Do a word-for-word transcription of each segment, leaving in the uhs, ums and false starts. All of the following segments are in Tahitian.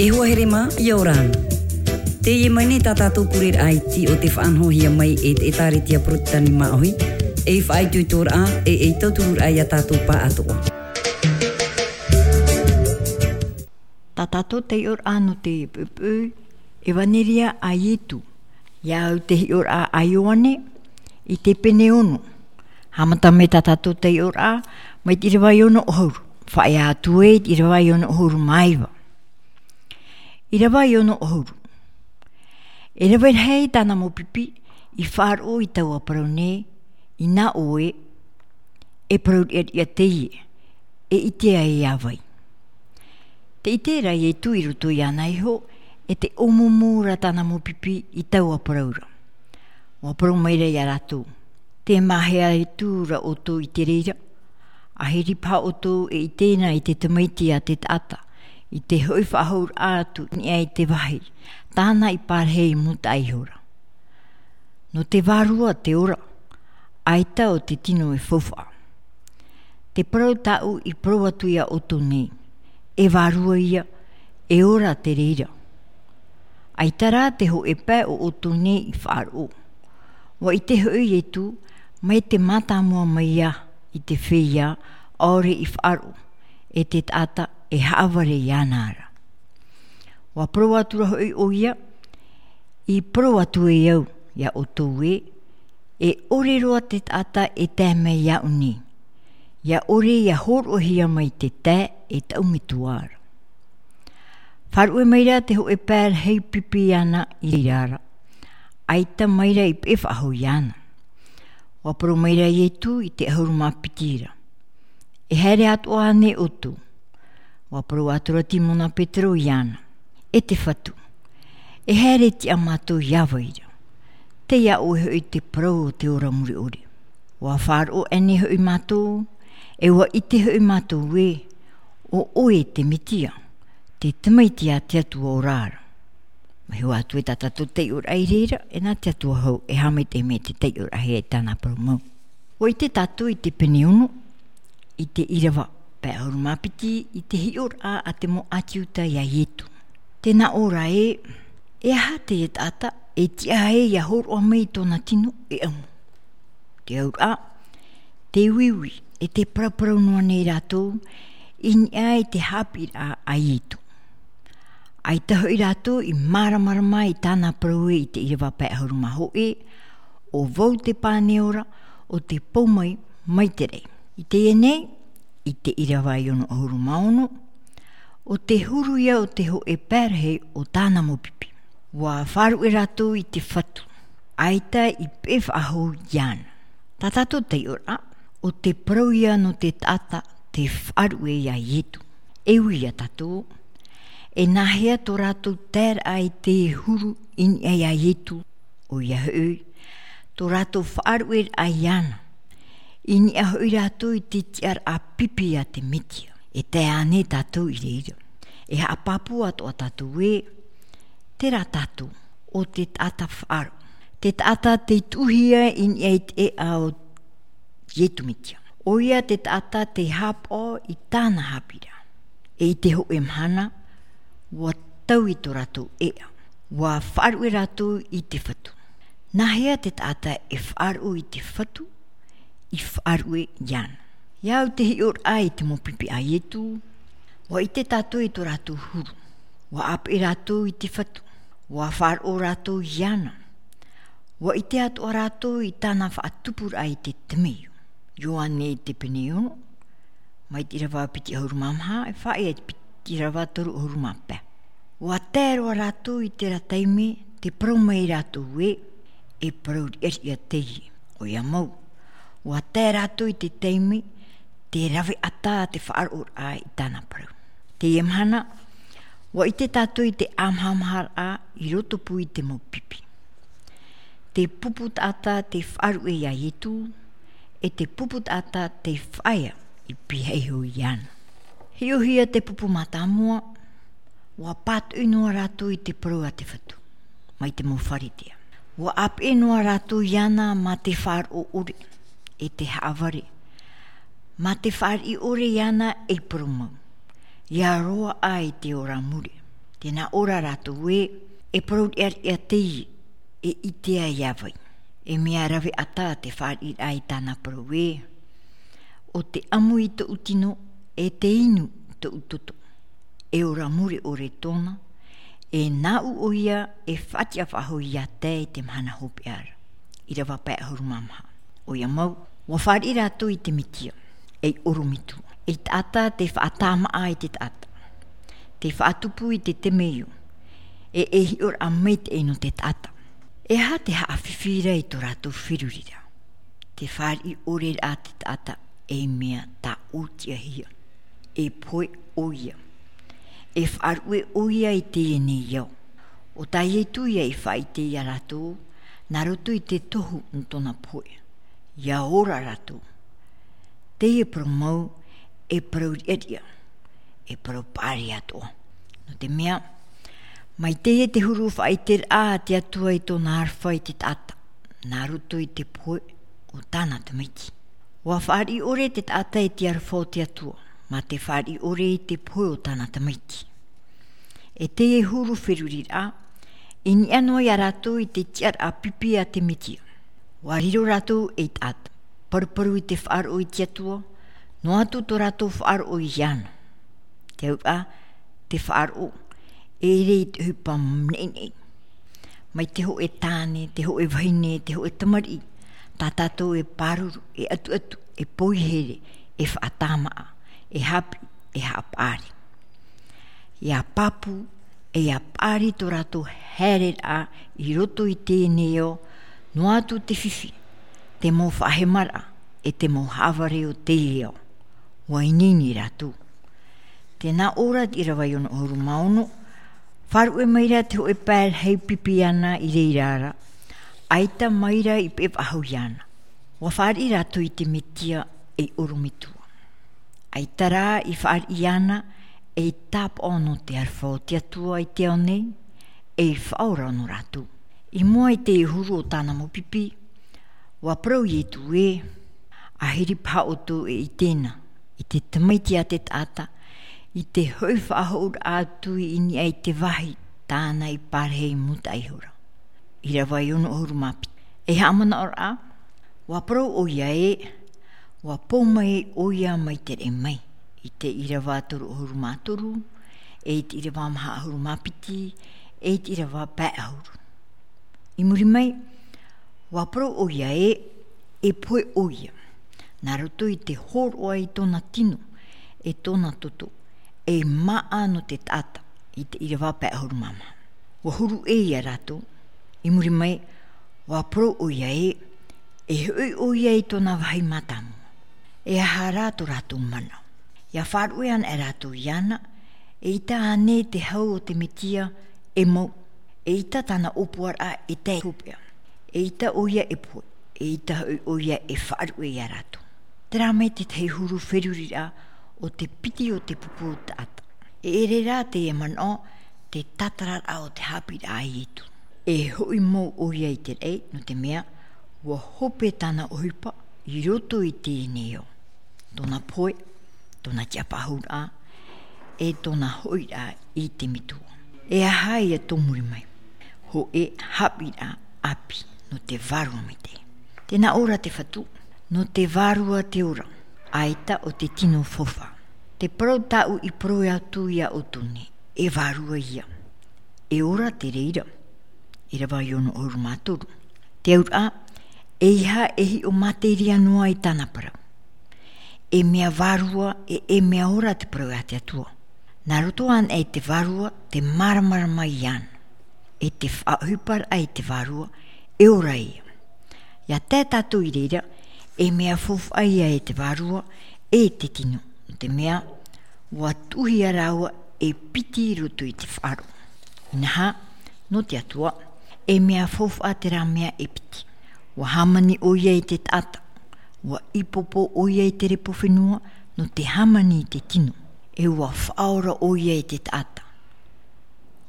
E hoa here mā, ʻia ora na. Teie mai nei tā tātou pureraʻa iti o te faʻanahohia mai e te ʻētāretia Porotitani Māʻohi, ei faʻaitoitoraʻa, e ei tauturu-raʻa ia tātou pāʻatoʻa. Tā tātou taiʻoraʻa nō te puʻupuʻu, ʻEvaneria a Ietu. ʻIa au te hiʻoraʻa a Ioane, i te pene ono. Haʻamata mai tā tātou taiʻoraʻa, mai te ʻīrava e ono ʻahuru. Faʻaea atu ē i te ʻīrava e ono ʻahuru mā iva. ʻĪrava e ono ʻahuru. E rave rahi tāna mau pipi, i faʻaroʻo i taua parau nei, inā ʻoe, e parau riʻariʻa teie, e ʻite ai ā vai. Tē ʻite ra Ietu i roto iāna iho, e tē ʻōmumu ra tāna mau pipi i taua parau ra. ʻUa parau mai ra ia rātou, tē mahea atu ra ʻoutou i te reira, ʻaita paha ʻoutou e ʻite na i te tamaiti a te taʻata, i te hoʻi faʻahou atu i niʻa i te vāhi, tāna i pārahi i mūtaʻa ihora. Nō te vārua te ora, ʻaita ʻo te tino e faufaʻa. Te parau tāʻu i parau atu ia ʻoutou nei, e vārua ia, e ora te reira. ʻAita rā te hōʻē pae o ʻoutou nei i faʻaroʻo. ʻUa ʻite hoʻi Ietu, mai te mātāmua mai ia i te feiā, ʻaore i faʻaroʻo, e te taʻata e haʻavare iāna ra. ʻUa parau atu ra hoʻi ʻoia, i parau atu e au, ia ʻoutou ē, e ʻore roa te taʻata e tae mai iāʻu nei. ʻIa ʻore ʻia hōroʻahia mai te tae e taʻu metua ra. Faʻaruʻe mai ra te hōʻē pae rahi pipi iāna i reira ra. ʻAita mai ra i peʻe faʻahou iāna. ʻUa parau mai ra Ietu i te ʻahuru mā piti ra. E haere atoʻa ānei ʻoutou? ʻUa parau atu ra Timona Petero iāna. E te Fatu. E haere tiʻa mātou ia vai ra. Tei iā ʻoe hoʻi te parau o te ora mure ʻore. ʻUa faʻaroʻo ānei hoʻi mātou, e ʻua ʻite hoʻi mātou ē, ʻo ʻoe te Metia, te tamaiti a te Atua ora ra. Mai hua atu e tā tātou taiʻoraʻa i reira, e nā te Atua hou, e haʻamaitaʻi mai te taiʻoraʻahia i tāna parau mau. ʻUa ʻite tātou i te pene ono, i te ʻīrava pae ʻahuru mā piti, i te hiʻoraʻa a te mau ʻĀti Iuta ia Ietu. Tē nā ʻō ra ē, e aha te taʻata, e tiʻa ai ʻia hōroʻa mai i tōna tino e ʻamu. Te auraʻa, te uiui, e te paraparau noa nei rātou, i niʻa i te haʻapiʻiraʻa a Ietu. ʻAita hoʻi rātou i māramarama i tāna parau ē i te ʻīrava pae ʻahuru mā hōʻē, ʻo vau te pane ora, ʻo tē pou mai, mai te raʻi. I teie nei, i te ʻīrava e ono ʻahuru mā ono, ʻo te huru ia o te hōʻē pae rahi o tāna mau pipi. ʻUa faʻaruʻe rātou i te Fatu, ʻaita i peʻe faʻahou iāna. Tā tātou taiʻoraʻa, ʻo te parau ia nō te taʻata tē faʻaruʻe ia Ietu. E ui ia tātou, e nāhea tō rātou taeraʻa i te huru i niʻa ia Ietu, ʻoia hoʻi, tō rātou faʻaruʻeraʻa iāna. I niʻa hoʻi rātou i te tiʻaraʻa pipi a te Metia. E tae ānei tātou i reira. E haʻapāpū atoʻa tātou ē, terā tātou, ʻo te taʻata faʻaroʻo. Te taʻata tei tuʻuhia i niʻa i te ʻēʻa o Ietu Metia. ʻOia te taʻata tei haʻapaʻo i tāna haʻapiʻiraʻa. E i te hōʻē mahana, ʻua taui tō rātou ʻēʻa. ʻUa faʻaruʻe rātou i te Fatu. Nāhea te taʻata e faʻaroʻo i te Fatu, i faʻaruʻe iāna. ʻIa au te hiʻoraʻa i te mau pipi a Ietu, ʻua ʻite tātou i tō rātou huru. ʻUa ʻāpeʻe rātou i te Fatu. ʻUa faʻaroʻo rātou iāna. ʻUa ʻite atoʻa rātou i tāna faʻatupuraʻa i te temeio. Ioane i te pene ono, mai te ʻīrava piti ʻahuru mā maha, e faʻaea i te piti ʻīrava toru ʻahuru mā pae. ʻUa tae roa rātou i terā taime, tē parau mai rātou ē, e parau riʻariʻa teie, ʻoia mau. ʻUa tae rātou i te taime, tē rave ʻata te faʻaroʻoraʻa i tāna parau. Teie mahana, ʻua ʻite tātou i te ʻāmahamaharaʻa i roto pū i te mau pipi. Te pupu taʻata tei faʻaruʻe ia Ietu, e te pupu taʻata tei faʻaea i pīhaʻi iho iāna. Hiʻohia te pupu mātāmua, ʻua pātoʻi noa rātou i te parau a te Fatu, mai te mau Pharisea. ʻUa ʻāpeʻe noa rātou iāna mā te faʻaroʻo ʻore, e te haʻavare, mā te fāriʻi ʻore iāna ei parau mau, ʻia roaʻa i te ora mure. Tē nā ʻō ra rātou ē, e parau riʻariʻa teie, e ʻite ai iā vai. E mea rave ʻata te fāriʻiraʻa i tāna parau ē, ʻo te ʻamu i tōʻu tino, e te inu i tōʻu toto. E ora mure ʻore tōna, e nāʻu ʻoia e faʻatiʻa faʻahou iā tae i te mahana hopeʻa ra. ʻĪrava pae ʻahuru mā maha. ʻOia mau, ʻua fāriʻi rātou i te Metia, ei ʻorometua, ei taʻata tei faʻatāmaʻa i te taʻata, tei faʻatupu i te temeio, e ei hiʻoraʻa maitaʻi nō te taʻata. E aha te haʻafifi ra i tō rātou feruriraʻa? Te fāriʻi ʻore ra te taʻata ei mea tāʻōtiʻahia. E pohe ʻoia. E faʻaruʻe ʻoia i teie nei ao. ʻO tā Ietu ia i faʻaʻite iā rātou, nā roto i te tohu nō tōna pohe. ʻIa ora rātou. Teie parau mau, e parau riʻariʻa, e parau paʻari atoʻa. Nō te mea, mai teie te huru faʻaʻiteraʻa a te Atua i tōna aroha i te taʻata, nā roto i te pohe o tāna tamaiti. ʻUa fāriʻi ʻore te taʻata i te aroha o te Atua, mā te fāriʻi ʻore i te pohe o tāna tamaiti. E teie huru feruriraʻa, i niʻa noa iā rātou i te tiʻaraʻa pipi a te Metia. ʻUa riro rātou ei taʻata, paruparu i te faʻaroʻo i te Atua, noa atu tō rātou faʻaroʻo iāna. Te auraʻa, te faʻaroʻo, e ʻere i te ʻohipa neʻineʻi. Mai te hōʻē tāne, te hōʻē vahine, te hōʻē tamariʻi, tā tātou e pāruru, e ʻatuʻatu, e poihere, e faʻatāmaʻa, e haʻapiʻi, e haʻapaʻari. ʻIa pāpū, e ʻia paʻari tō rātou haereraʻa i roto i teie nei ao, noa atu te fifi, te mau faʻahemaraʻa, e te mau haʻavare o teie ao. ʻUa ineine rātou. Tē nā ʻō ra te ʻīrava e ono ʻahuru mā ono, faʻaruʻe mai ra te hōʻē pae rahi pipi iāna i reira ra, ʻaita mai ra i peʻe faʻahou iāna. ʻUa fāriʻi rātou i te Metia ei ʻorometua. ʻAita rā i fāriʻi iāna ei tāpaʻo nō te aroha o te Atua i te ao nei, ei faʻaora nō rātou. I mua i te huru o tāna mau pipi, ʻua parau Ietu ē, ʻahiri paha ʻoutou e ʻite na, i te tamaiti a te taʻata, i te hoʻi faʻahou atu i niʻa i te vāhi tāna i pārahi i mūtaʻa ihora. ʻĪrava e ono ʻahuru mā piti. Ei haʻamanaʻoraʻa, ʻua parau ʻoia ē, ʻua pou mai ʻoia mai te raʻi mai, i te ʻīrava toru ʻahuru mā toru, e i te ʻīrava maha ʻahuru mā piti, e i te ʻīrava pae ʻahuru. I muri mai, ʻua parau ʻoia ē, e pohe ʻoia, nā roto i te hōroʻa i tōna tino, e tōna toto, ei māʻa nō te taʻata, i te ʻīrava pae ʻahuru mā maha. ʻUa huru ʻē ia rātou, i muri mai, ʻua parau ʻoia ē, e hoʻi ʻoia i tōna vāhi mātāmua. E aha rā tō rātou mana? ʻIa faʻaruʻe ana e rātou iāna, eʻita ānei te hau o te Metia e mau, eʻita tāna ʻōpuaraʻa e tae i te hopeʻa, eʻita ʻoia e pohe, eʻita hoʻi ʻoia e faʻaruʻe ia rātou. Terā mai te tahi huru feruriraʻa o te piti o te pupu o te taʻata. E ʻere rā teie manaʻo, te tātararaʻa o te haʻapiʻiraʻa a Ietu. E hoʻi mau ʻoia i te raʻi, nō te mea, ʻua hope tāna ʻohipa i roto i teie nei ao. Tōna pohe, tōna tiʻafaʻahouraʻa, e tōna hoʻiraʻa i te metua. E aha ia tō muri mai? Hōʻē haʻapiʻiraʻa ʻāpī nō te vārua maitaʻi. Tē nā ʻō ra te Fatu, nō te vārua te ora, ʻaita ʻo te tino faufaʻa. Te parau tāʻu i parau atu ia ʻoutou nei, e vārua ia. E ora te reira. ʻĪrava e ono ʻahuru mā toru. Te auraʻa, ʻeiaha e hiʻo materia noa i tāna parau. E mea vārua, e, e mea ora te parau a te Atua. Nā roto anaʻe i te vārua, te māramarama iāna. E te faʻaʻohiparaʻa i te vārua, e ora ia. ʻIa tae tātou i reira, e mea faufaʻa ia e te vārua, e te tino. Nō te mea, ʻua tuʻuhia rāua e piti i roto i te faʻaroʻo. Inaha, nō te Atua, e mea faufaʻa terā mea e piti. ʻUa hāmani ʻoia i te taʻata, ʻua ʻīpopo ʻoia i te repo fenua, nō te hāmani i te tino. E ʻua faʻaora ʻoia i te taʻata.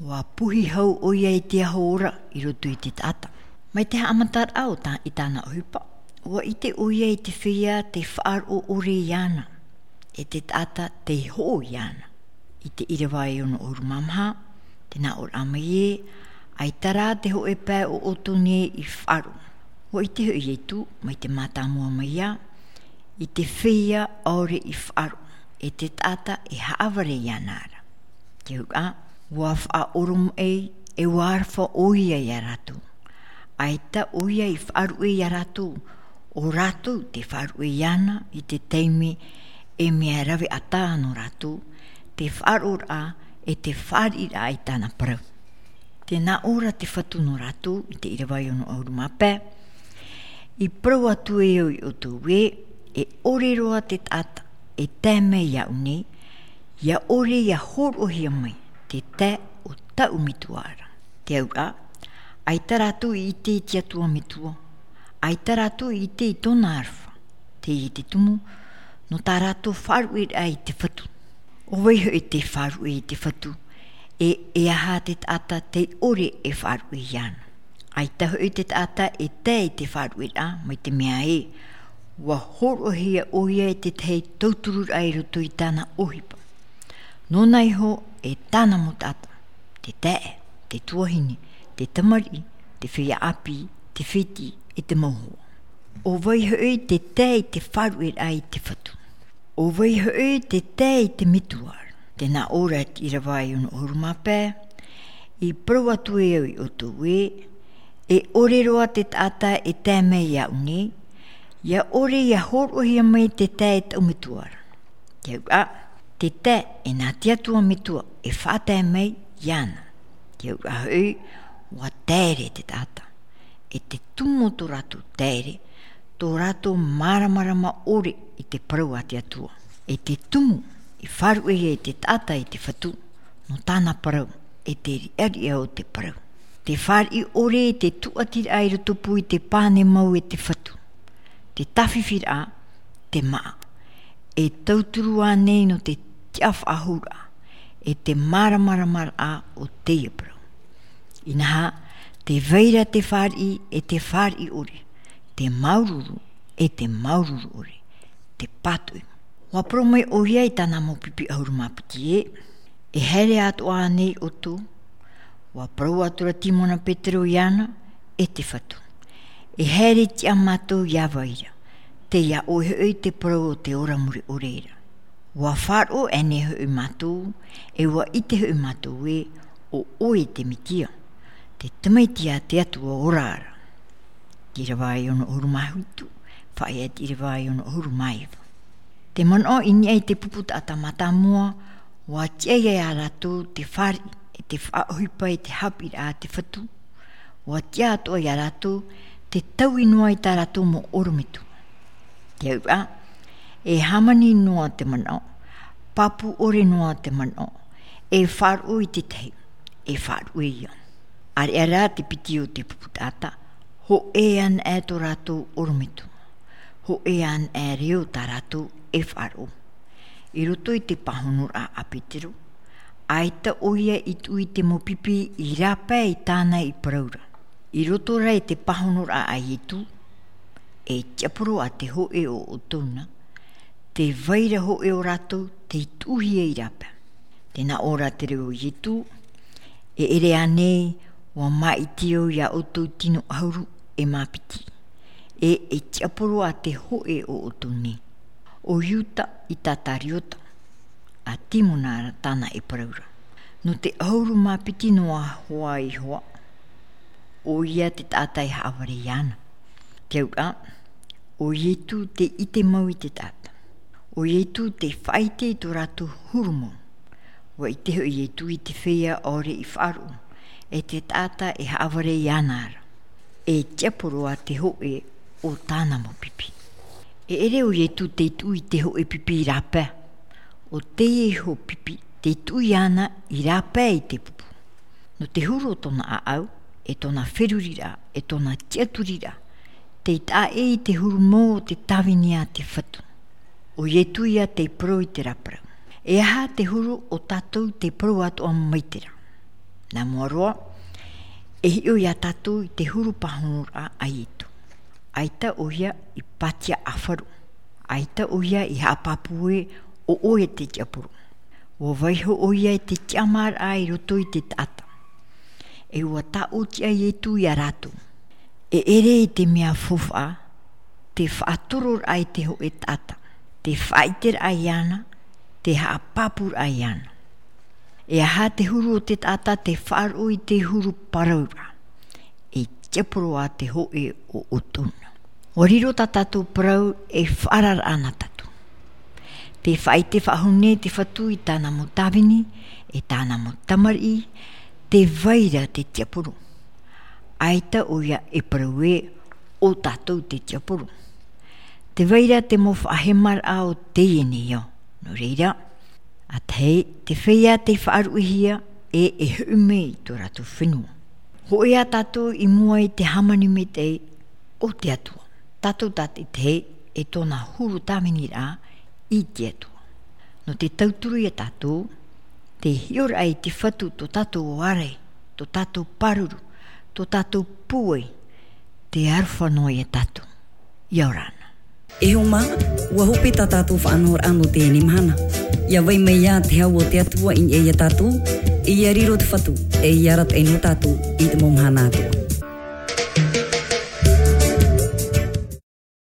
ʻUa puhi hau ʻoia i te aho ora i roto i te taʻata. Mai te haʻamataraʻa o tā, i tāna ʻohipa, ʻua ʻite ʻoia i te feiā tei faʻaroʻo ʻore iāna, e te taʻata tei hoʻo iāna. I te ʻīrava e ono ʻahuru mā maha, Tē nā ʻō ra mai ē, ʻaita rā te hōʻē pae o ʻoutou nei i faʻaroʻo. ʻUa ʻite hoʻi Ietu, mai te mātāmua mai ā, i te feiā ʻaore i faʻaroʻo, e te taʻata e haʻavare iāna ra. Te auraʻa, ʻua faʻaoromaʻi, e ʻua aroha ʻoia ia rātou. ʻAita ʻoia i faʻaruʻe ia rātou, ʻo rātou te faʻaruʻe iāna i te taime e mea rave ʻatā nō rātou, te faʻaroʻoraʻa, e te fāriʻiraʻa i tāna parau. Tē nā ʻō ra te Fatu nō rātou, i te ʻīrava e ono ʻahuru mā pae, i parau atu e au ia ʻoutou ē, e ʻore roa te taʻata, e tae mai iāʻu nei, ʻia ʻore ʻia hōroʻahia mai, te tae o taʻu metua ra. Te auraʻa, ʻaita rātou i ʻite i te Atua metua, ʻaita rātou i ʻite i tōna aroha, teie te tumu, nō tā rātou faʻaruʻeraʻa i te Fatu. ʻO vai hoʻi te faʻaruʻe i te Fatu, e, e aha te taʻata tei ʻore e faʻaruʻe iāna. ʻAita hoʻi te taʻata e tae i te faʻaruʻeraʻa mai te mea ē, ʻua hōroʻahia ʻoia e te tahi tautururaʻa i roto i tāna ʻohipa. Nōna iho e tāna mau taʻata, te taeaʻe, te tuahine, te tamariʻi, te feiā ʻāpī, te fētiʻi, e te mau hoa. ʻO vai hoʻi te tae i te faʻaruʻeraʻa i te Fatu. ʻO vai hoʻi te tae i te metua ra. Tē nā ʻō ra te ʻīrava e ono ʻahuru mā pae, i parau atu e au ia ʻoutou ē, e ʻore roa te taʻata e tae mai iāʻu nei, ʻia ʻore ʻia hōroʻahia mai te tae e taʻu metua ra. Te auraʻa, te tae e nā te Atua metua e faʻatae mai iāna. Te auraʻa hoʻi, ʻua taere te taʻata. E te tumu o tō rātou taere, tō rātou māramarama ʻore i te parau a te Atua. E te tumu i faʻaruʻe ai te taʻata i te Fatu, nō tāna parau, e te riʻariʻa o te parau. Te fāriʻi ʻore i te tūʻatiraʻa i rotopū i te pāne mau e te Fatu. Te tāfifiraʻa, te māʻa. E tauturu ānei nō te tiʻafaʻahouraʻa, e te māramaramaraʻa o teie parau. Inaha, tē vai ra te fāriʻi, e te fāriʻi ʻore, te māuruuru, e te māuruuru ʻore, te pātoʻi. ʻUa parau mai ʻoia i tāna mau pipi ʻahuru mā piti ē, e haere atoʻa ānei ʻoutou, ʻua parau atu ra Timona Petero iāna, e te Fatu. E haere tiʻa mātou iā vai ra, tei iā ʻoe hoʻi te parau o te ora mure ʻore ra. ʻUa faʻaroʻo ānei hoʻi mātou, e ʻua ʻite hoʻi mātou ē, ʻo ʻoe te Metia, te Tamaiti a te Atua ora ra. Te ʻīrava e ono ʻahuru mā hitu, faʻaea te ʻīrava e ono ʻahuru mā iva. Te manaʻo i niʻa i te pupu taʻata mātāmua, ʻua tiʻa ia rātou te fāriʻi, e te faʻaʻohipa i te haʻapiʻiraʻa a te Fatu, ʻua tiʻa atoʻa ia rātou te taui noa i tā rātou mau ʻorometua. Te auraʻa, e hāmani noa te manaʻo, pāpū ʻore noa te manaʻo, e faʻaroʻo i te tahi, e faʻaruʻe ia. ʻAreʻa rā te piti o te pupu taʻata, hōʻē anaʻe tō rātou ʻorometua, hōʻē anaʻe reo tā rātou e faʻaroʻo. I roto i te pāhonoraʻa a Petero, ʻaita ʻoia i tuʻu i te mau pipi i rāpae i tāna i parau ra. I roto rā i te pāhonoraʻa a Ietu, e tiaporo a te hōʻē o ʻoutou na, tē vai ra hōʻē o rātou tei tuʻuhia i rāpae. Tē nā ʻō ra te reo o Ietu, e ʻere ānei, ʻua māʻiti au ia ʻoutou tino ʻahuru e mā piti, e, e tiaporo a te hōʻē o ʻoutou nei. ʻO Iuta ʻItakariota, a Timona ra tāna e parau ra. Nō te ʻahuru mā piti noa hoʻi iho ā, ʻoia te taʻata e haʻavare iāna. Te auraʻa, ʻo Ietu tei ʻite mau i te taʻata. ʻO Ietu tei faʻaʻite i tō rātou huru mau. ʻUa ʻite hoʻi Ietu i te feiā ʻaore i faʻaroʻo, e te taʻata e haʻavare iāna ra. E tiaporo a te hōʻē o tāna mau pipi. E ʻere ʻo Ietu tei tuʻu i te hōʻē pipi i rāpae. ʻO teie iho pipi, tei tuʻu iāna i rāpae i te pupu. Nō te huru o tōna ʻāʻau, e tōna feruriraʻa, e tōna tiʻaturiraʻa, tei taʻa ʻē i te huru mau o te tāvini a te Fatu. ʻO Ietu ia tei parau i terā parau. E aha te huru o tātou tei parau atoʻa mai terā? Nā mua roa, e hiʻo ia tātou i te huru pāhonoraʻa a Ietu. ʻAita ʻoia i pātia ʻāfaro. ʻAita ʻoia i haʻapāpū ē ʻo ʻoe te tiaporo. Ua vaiho ʻoia i te tiʻamāraʻa i roto i te taʻata. E ua tāʻōtiʻa Ietu iā rātou. E ʻere i te mea faufaʻa, te faʻatororaʻa i te hōʻē taʻata, te faʻaʻiteraʻa iāna, te haʻapāpūraʻa iāna. E aha te huru o te taʻata? Te faʻaroʻo i te huru parauraʻa. E tiaporo ā te hōʻē o ʻoutou na. Ua riro tā tātou parau e faʻaararaʻa na tātou. Te faʻaʻite faʻahou nei te Fatu i tāna mau tāvini, e tāna mau tamariʻi, tē vai ra te tiaporo. ʻAita ʻoia e parau ē, ʻo tātou te tiaporo. Tē vai ra te mau faʻahemaraʻa o teie nei ao. Nō reira, ʻa tahi, te feiā tei faʻaruʻehia ʻe e hoʻi mai i tō rātou fenua. Hōʻē ā tātou i mua i te hāmani maitaʻi o te Atua. Tātou tātaʻitahi e tōna huru tāviniraʻa i te Atua. Nō te tauturu iā tātou, te hiʻoraʻa i te Fatu tō tātou ʻārai, tō tātou pāruru, tō tātou pūai, te aroha noa iā tātou. ʻIa ora na. E hoa mā, ua hope tā tātou faʻanahoraʻa nō teie mahana. ʻIa vai mai ā te hau o te Atua i niʻa iā tātou, ʻe ʻia riro te Fatu, ʻe ʻia arataʻi nō tātou i te mau mahana atoʻa.